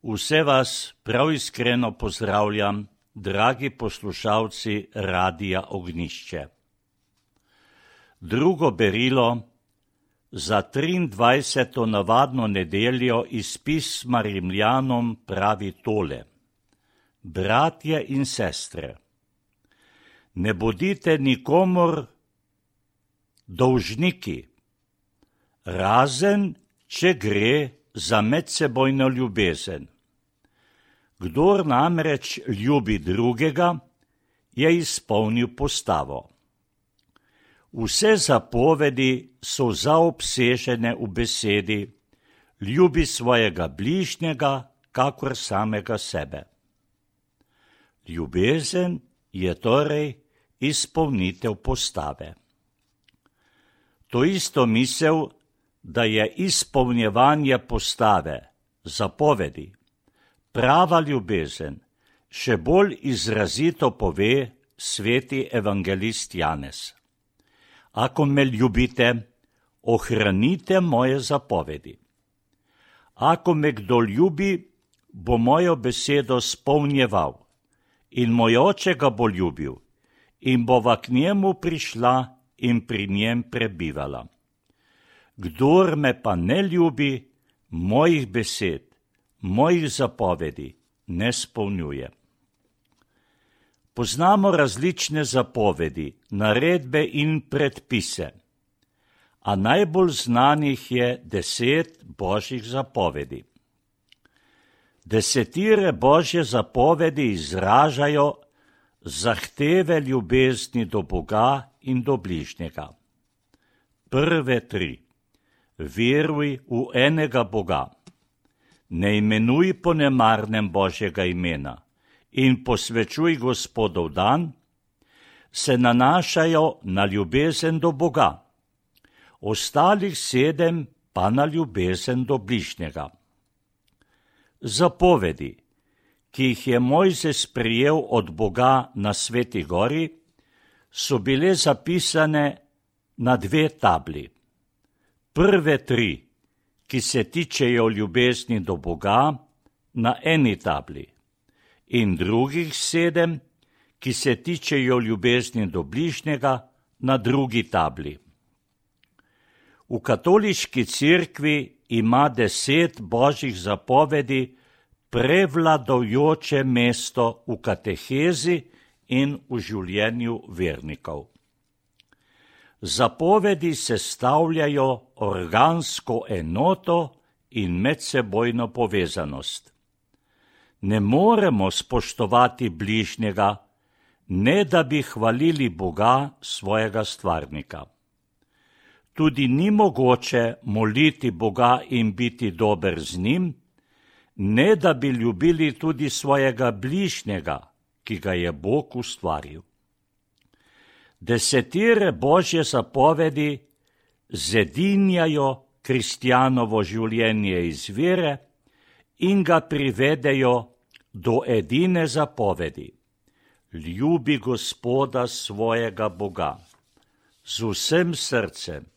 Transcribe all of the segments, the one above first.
Vse vas prav iskreno pozdravljam, dragi poslušalci Radia Ognjišče. Drugo berilo za 23. navadno nedeljo iz pisma Rimljanom pravi tole. Bratje in sestre, ne bodite nikomur dolžniki, razen če gre za medsebojno ljubezen. Kdor namreč ljubi drugega, je izpolnil postavo. Vse zapovedi so zaobsežene v besedi, ljubi svojega bližnjega, kakor samega sebe. Ljubezen je torej izpolnitev postave. To isto misel, da je izpolnjevanje postave, zapovedi, prava ljubezen, še bolj izrazito pove sveti evangelist Janez. Ako me ljubite, ohranite moje zapovedi. Ako me kdo ljubi, bo mojo besedo spolnjeval, in moj oče ga bo ljubil, in bova k njemu prišla in pri njem prebivala. Kdor me pa ne ljubi, mojih besed, mojih zapovedi ne spolnjuje. Poznamo različne zapovedi, naredbe in predpise, a najbolj znanih je 10 božjih zapovedi. Desetire božje zapovedi izražajo zahteve ljubezni do Boga in do bližnjega. Prve 3. Veruj v enega Boga. Ne imenuj po nemarnem Božjega imena in posvečuj Gospodov dan, se nanašajo na ljubezen do Boga, ostalih 7 pa na ljubezen do bližnjega. Zapovedi, ki jih je Mojzes prejel od Boga na Sveti gori, so bile zapisane na 2 tabli. Prve 3, ki se tičejo ljubezni do Boga, na eni tabli, in drugih 7, ki se tičejo ljubezni do bližnjega, na drugi tabli. V katoliški cerkvi ima 10 božjih zapovedi prevladujoče mesto v katehezi in v življenju vernikov. Zapovedi sestavljajo organsko enoto in medsebojno povezanost. Ne moremo spoštovati bližnjega, ne da bi hvalili Boga, svojega stvarnika. Tudi ni mogoče moliti Boga in biti dober z njim, ne da bi ljubili tudi svojega bližnjega, ki ga je Bog ustvaril. Desetire božje zapovedi zedinjajo kristjanovo življenje iz vere in ga privedejo do edine zapovedi. Ljubi Gospoda svojega Boga z vsem srcem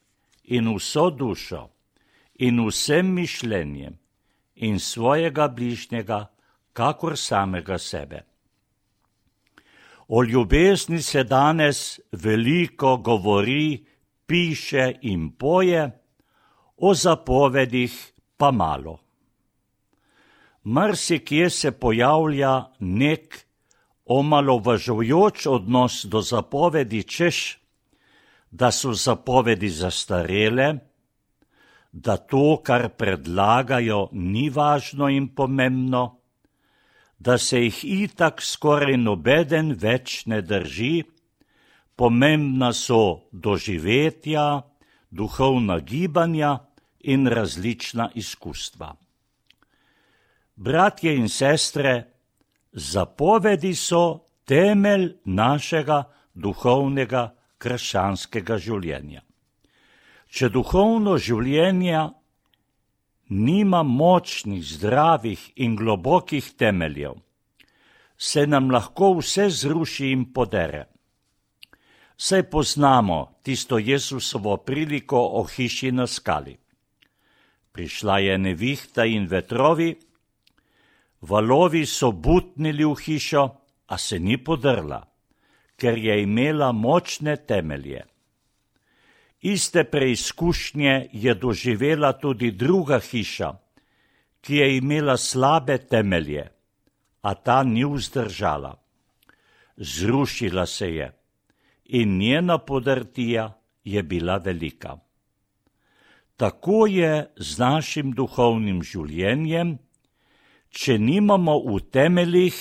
in vso dušo in vsem mišljenjem in svojega bližnjega, kakor samega sebe. O ljubezni se danes veliko govori, piše in poje, o zapovedih pa malo. Marsikje se pojavlja nek omalovažujoč odnos do zapovedi, češ, da so zapovedi zastarele, da to, kar predlagajo, ni važno in pomembno, da se jih itak skoraj nobeden več ne drži, pomembna so doživetja, duhovna gibanja in različna izkustva. Bratje in sestre, zapovedi so temelj našega duhovnega krščanskega življenja. Če duhovno življenje nima močnih, zdravih in globokih temeljev, se nam lahko vse zruši in podere. Saj poznamo tisto Jezusovo priliko o hiši na skali. Prišla je nevihta in vetrovi, Valovi so butnili v hišo, a se ni podrla, ker je imela močne temelje. Iste preizkušnje je doživela tudi druga hiša, ki je imela slabe temelje, a ta ni vzdržala. Zrušila se je in njena podrtija je bila velika. Tako je z našim duhovnim življenjem, če nimamo v temeljih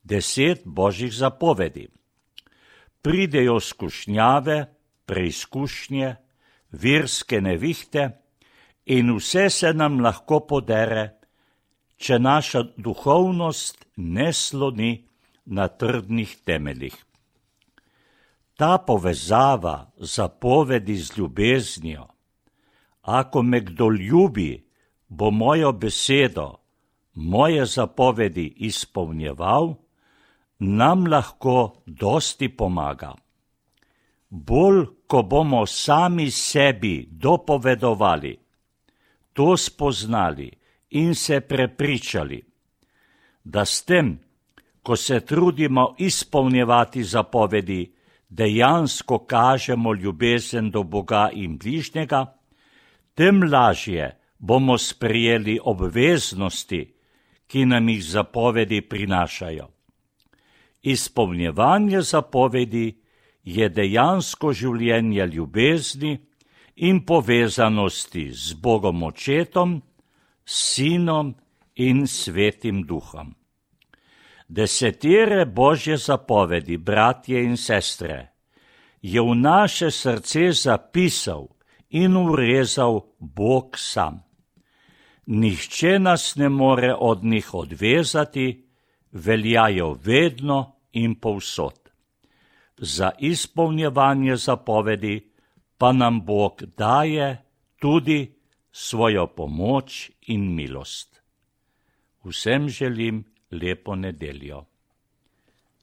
10 Božjih zapovedi. Pridejo skušnjave, preizkušnje, verske nevihte in vse se nam lahko podere, če naša duhovnost ne sloni na trdnih temeljih. Ta povezava zapovedi z ljubeznijo, ako me kdo ljubi, bo mojo besedo, moje zapovedi izpolnjeval, nam lahko dosti pomaga. Bolj, ko bomo sami sebi dopovedovali, to spoznali in se prepričali, da s tem, ko se trudimo izpolnjevati zapovedi, dejansko kažemo ljubezen do Boga in bližnjega, tem lažje bomo sprejeli obveznosti, ki nam jih zapovedi prinašajo. Izpolnjevanje zapovedi je dejansko življenje ljubezni in povezanosti z Bogom Očetom, Sinom in Svetim Duhom. 10 Božje zapovedi, bratje in sestre, je v naše srce zapisal in urezal Bog sam. Nihče nas ne more od njih odvezati, veljajo vedno in povsod. Za izpolnjevanje zapovedi pa nam Bog daje tudi svojo pomoč in milost. Vsem želim lepo nedeljo.